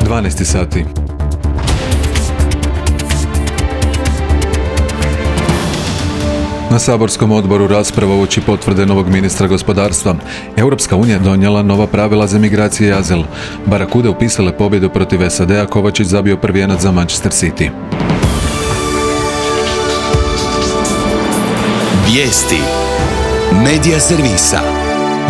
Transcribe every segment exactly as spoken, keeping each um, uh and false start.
dvanaest sati. Na saborskom odboru rasprava uoči potvrde novog ministra gospodarstva. Europska unija donijela nova pravila za migracije i azil. Barakude upisale pobjedu protiv S A D-a, Kovačić zabio prvi jenac za Manchester City. Vijesti Medija servisa.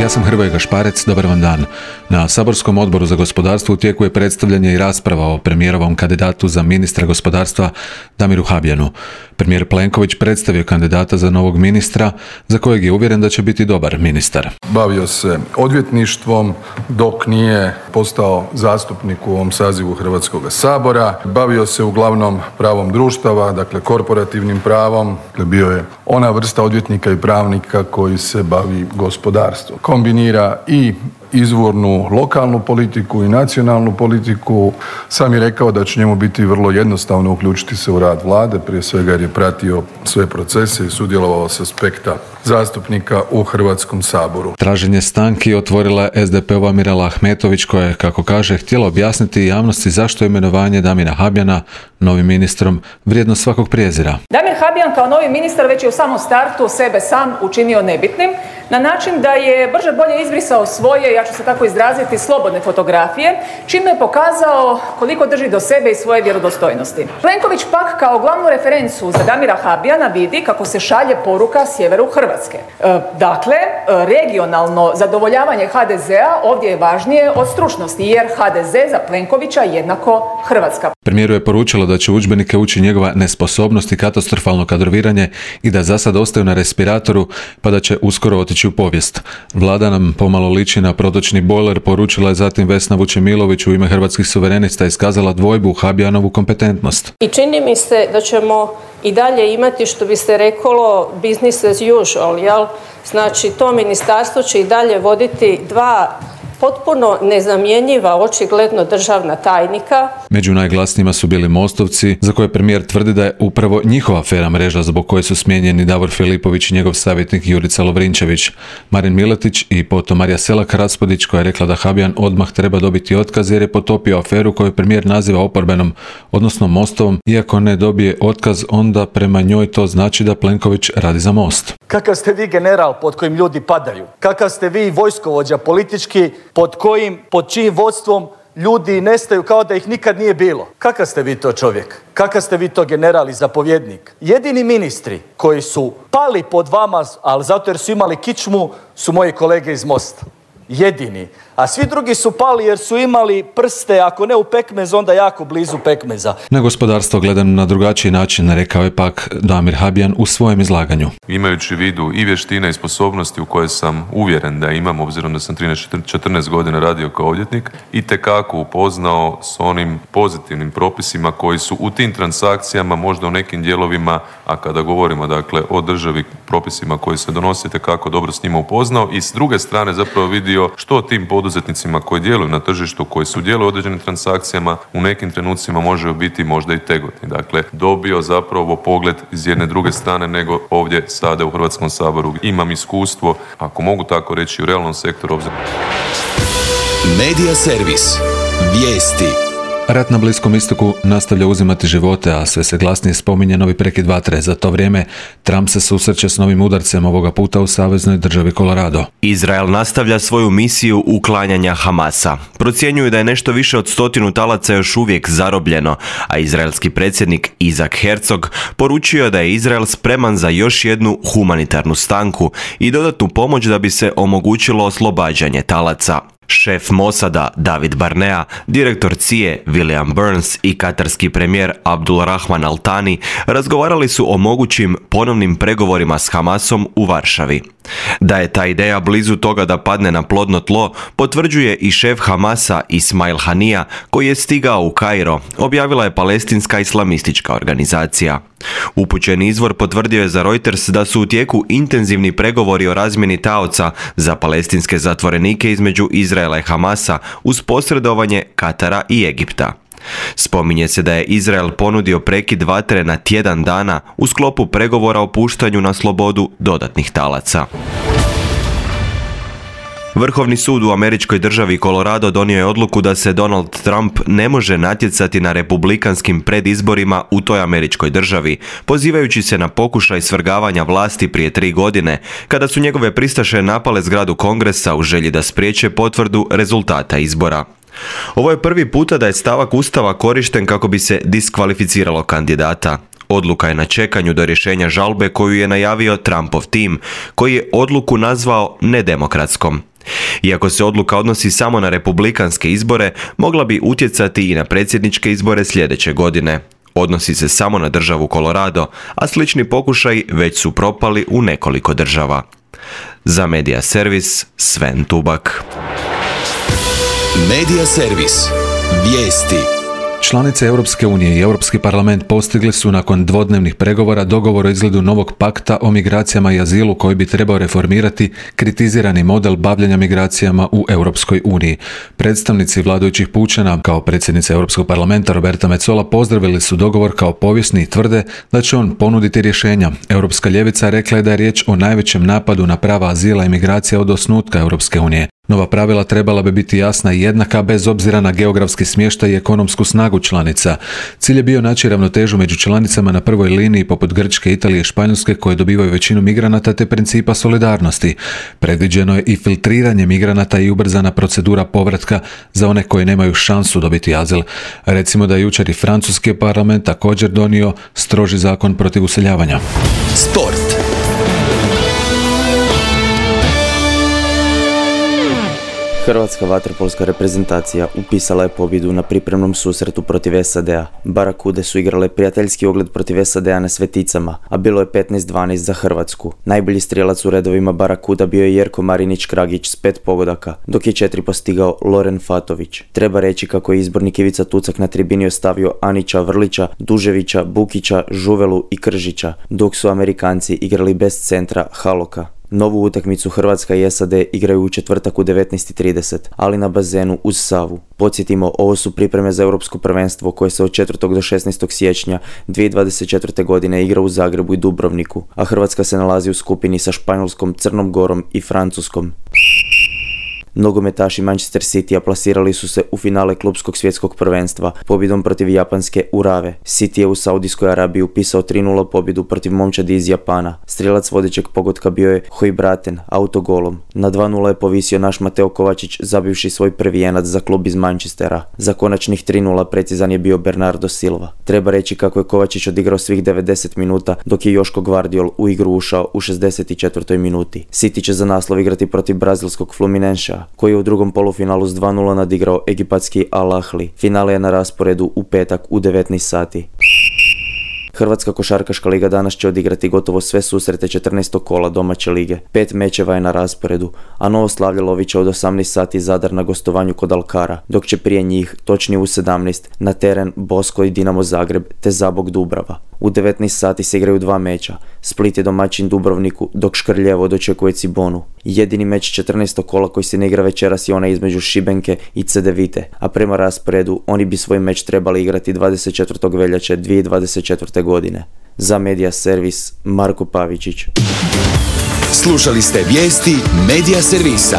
Ja sam Hrvoje Gašparec, dobar vam dan. Na saborskom odboru za gospodarstvo u tijeku je predstavljanje i rasprava o premijerovom kandidatu za ministra gospodarstva Damiru Habijanu. Premijer Plenković predstavio kandidata za novog ministra, za kojeg je uvjeren da će biti dobar ministar. Bavio se odvjetništvom dok nije postao zastupnik u ovom sazivu Hrvatskog sabora. Bavio se uglavnom pravom društava, dakle korporativnim pravom. Bio je ona vrsta odvjetnika i pravnika koji se bavi gospodarstvom. Kombinira i izvornu lokalnu politiku i nacionalnu politiku. Sam je rekao da će njemu biti vrlo jednostavno uključiti se u rad vlade, prije svega jer je pratio sve procese i sudjelovao s aspekta zastupnika u Hrvatskom saboru. Traženje stanki otvorila je S D P-ova Mirela Ahmetović, koja je, kako kaže, htjela objasniti javnosti zašto je imenovanje Damira Habijana novim ministrom vrijedno svakog prijezira. Damir Habijan kao novi ministar već je u samom startu sebe sam učinio nebitnim, na način da je brže bolje izbrisao svoje, ja ću se tako izraziti, slobodne fotografije, čime je pokazao koliko drži do sebe i svoje vjerodostojnosti. Plenković pak kao glavnu referencu za Damira Habijana vidi kako se šalje poruka sjeveru Hrvatske. E, dakle, regionalno zadovoljavanje H D Z-a ovdje je važnije od stručnosti, jer H D Z za Plenkovića jednako Hrvatska. Premijeru je poručilo da će udžbenike uči njegova nesposobnost i katastrofalno kadroviranje i da za sad ostaju na respiratoru, pa da će uskoro otići u povijest. Vlada nam pomalo liči na protočni bojler, poručila je zatim Vesna Vučemilović u ime Hrvatskih suverenista, iskazala dvojbu u Habijanovu kompetentnost. I čini mi se da ćemo i dalje imati, što bi se reklo, business as usual, jel? Znači, to ministarstvo će i dalje voditi dva potpuno nezamjenjiva, očigledno državna tajnika. Među najglasnijima su bili Mostovci, za koje premijer tvrdi da je upravo njihova afera mreža zbog koje su smijenjeni Davor Filipović i njegov savjetnik Jurica Lovrinčević. Marin Miletić i potom Marija Selak Raspudić, koja je rekla da Habijan odmah treba dobiti otkaz jer je potopio aferu koju premijer naziva oporbenom, odnosno Mostovom. Iako ne dobije otkaz, onda prema njoj to znači da Plenković radi za Most. Kakav ste vi general pod kojim ljudi padaju? Kakav ste vi vojskovođa politički pod kojim, pod čijim vodstvom ljudi nestaju kao da ih nikad nije bilo? Kakav ste vi to čovjek? Kakav ste vi to general i zapovjednik? Jedini ministri koji su pali pod vama, ali zato jer su imali kičmu, su moji kolege iz Mosta. Jedini. A svi drugi su pali jer su imali prste, ako ne u pekmez, onda jako blizu pekmeza. Na gospodarstvo gledam na drugačiji način, rekao je pak Damir Habijan u svojem izlaganju. Imajući u vidu i vještine i sposobnosti u koje sam uvjeren da imam, obzirom da sam trinaest četrnaest godina radio kao odvjetnik, itekako upoznao s onim pozitivnim propisima koji su u tim transakcijama, možda u nekim dijelovima, a kada govorimo dakle o državi, propisima koji se donose, itekako dobro s njima upoznao i s druge strane zapravo vidio što tim poduzetnicima koji djeluju na tržištu, koji sudjeluju u određenim transakcijama, u nekim trenucima može biti možda i tegotni. Dakle, dobio zapravo pogled iz jedne druge strane nego ovdje sada u Hrvatskom saboru. Imam iskustvo, ako mogu tako reći, u realnom sektoru. Obzirom... Medija servis. Vijesti. Rat na Bliskom istoku nastavlja uzimati živote, a sve se glasnije spominje novi prekid vatre. Za to vrijeme Trump se susreće s novim udarcem, ovoga puta u saveznoj državi Colorado. Izrael nastavlja svoju misiju uklanjanja Hamasa. Procjenjuju da je nešto više od stotinu talaca još uvijek zarobljeno, a izraelski predsjednik Isaac Herzog poručio da je Izrael spreman za još jednu humanitarnu stanku i dodatnu pomoć da bi se omogućilo oslobađanje talaca. Šef Mosada David Barnea, direktor C I A William Burns i katarski premijer Abdul Rahman Al Thani razgovarali su o mogućim ponovnim pregovorima s Hamasom u Varšavi. Da je ta ideja blizu toga da padne na plodno tlo, potvrđuje i šef Hamasa Ismail Hanija, koji je stigao u Kairo, objavila je palestinska islamistička organizacija. Upućeni izvor potvrdio je za Reuters da su u tijeku intenzivni pregovori o razmjeni taoca za palestinske zatvorenike između Izraela i Hamasa uz posredovanje Katara i Egipta. Spominje se da je Izrael ponudio prekid vatre na tjedan dana u sklopu pregovora o puštanju na slobodu dodatnih talaca. Vrhovni sud u američkoj državi Colorado donio je odluku da se Donald Trump ne može natjecati na republikanskim predizborima u toj američkoj državi, pozivajući se na pokušaj svrgavanja vlasti prije tri godine, kada su njegove pristaše napale zgradu Kongresa u želji da spriječe potvrdu rezultata izbora. Ovo je prvi puta da je stavak Ustava korišten kako bi se diskvalificiralo kandidata. Odluka je na čekanju do rješenja žalbe koju je najavio Trumpov tim, koji je odluku nazvao nedemokratskom. Iako se odluka odnosi samo na republikanske izbore, mogla bi utjecati i na predsjedničke izbore sljedeće godine. Odnosi se samo na državu Colorado, a slični pokušaji već su propali u nekoliko država. Za Media Servis, Sven Tubak. Media Servis. Vijesti. Članice Europske unije i Europski parlament postigli su nakon dvodnevnih pregovora dogovor o izgledu novog pakta o migracijama i azilu koji bi trebao reformirati kritizirani model bavljenja migracijama u Europskoj uniji. Predstavnici vladajućih pučana, kao predsjednica Europskog parlamenta Roberta Metsola, pozdravili su dogovor kao povijesni i tvrde da će on ponuditi rješenja. Europska ljevica rekla je da je riječ o najvećem napadu na prava azila i migracija od osnutka Europske unije. Nova pravila trebala bi biti jasna i jednaka bez obzira na geografski smještaj i ekonomsku snagu članica. Cilj je bio naći ravnotežu među članicama na prvoj liniji poput Grčke, Italije i Španjolske koje dobivaju većinu migranata te principa solidarnosti. Predviđeno je i filtriranje migranata i ubrzana procedura povratka za one koji nemaju šansu dobiti azil. Recimo da je jučer i francuski parlament također donio stroži zakon protiv useljavanja. Sport. Hrvatska vaterpolska reprezentacija upisala je pobjedu na pripremnom susretu protiv S A D-a. Barakude su igrale prijateljski ogled protiv S A D-a na Sveticama, a bilo je petnaest dvanaest za Hrvatsku. Najbolji strijelac u redovima Barakuda bio je Jerko Marinić-Kragić s pet pogodaka, dok je četiri postigao Loren Fatović. Treba reći kako je izbornik Ivica Tucak na tribini ostavio Anića, Vrlića, Duževića, Bukića, Žuvelu i Kržića, dok su Amerikanci igrali bez centra Haloka. Novu utakmicu Hrvatska i S A D igraju u četvrtak u devetnaest i trideset, ali na bazenu uz Savu. Podsjetimo, ovo su pripreme za Europsko prvenstvo koje se od četvrtog do šesnaestog siječnja dvije tisuće dvadeset četvrte. godine igra u Zagrebu i Dubrovniku, a Hrvatska se nalazi u skupini sa Španjolskom, Crnom Gorom i Francuskom. Nogometaši Manchester Citya plasirali su se u finale klubskog svjetskog prvenstva pobjedom protiv japanske Urave. City je u Saudijskoj Arabiji upisao tri nula pobjedu protiv momčadi iz Japana. Strijelac vodećeg pogotka bio je Hojbraten autogolom. Na dva nula je povisio naš Mateo Kovačić zabivši svoj prvi jenac za klub iz Manchestera. Za konačnih tri nula precizan je bio Bernardo Silva. Treba reći kako je Kovačić odigrao svih devedeset minuta, dok je Joško Gvardiol u igru ušao u šezdeset četvrtoj minuti. City će za naslov igrati protiv brazilskog Fluminensa, koji je u drugom polufinalu s dva nula nadigrao egipatski Al Ahly. Finale je na rasporedu u petak u devetnaest sati. Hrvatska košarkaška liga danas će odigrati gotovo sve susrete četrnaestog kola domaće lige. Pet mečeva je na rasporedu, a Novo Slavlje će od osamnaest sati Zadar na gostovanju kod Alkara, dok će prije njih, točnije u sedamnaest, na teren Bosko i Dinamo Zagreb te Zabok Dubrava. U devetnaest sati se igraju dva meča. Split je domaćin Dubrovniku, dok Škrljevo dočekuje Cibonu. Jedini meč četrnaestog kola koji se ne igra večeras je onaj između Šibenke i Cedevite, a prema rasporedu oni bi svoj meč trebali igrati dvadeset četvrtog veljače dvije tisuće dvadeset četvrte. godine. Za Media Servis, Marko Pavičić. Slušali ste vijesti Media Servisa.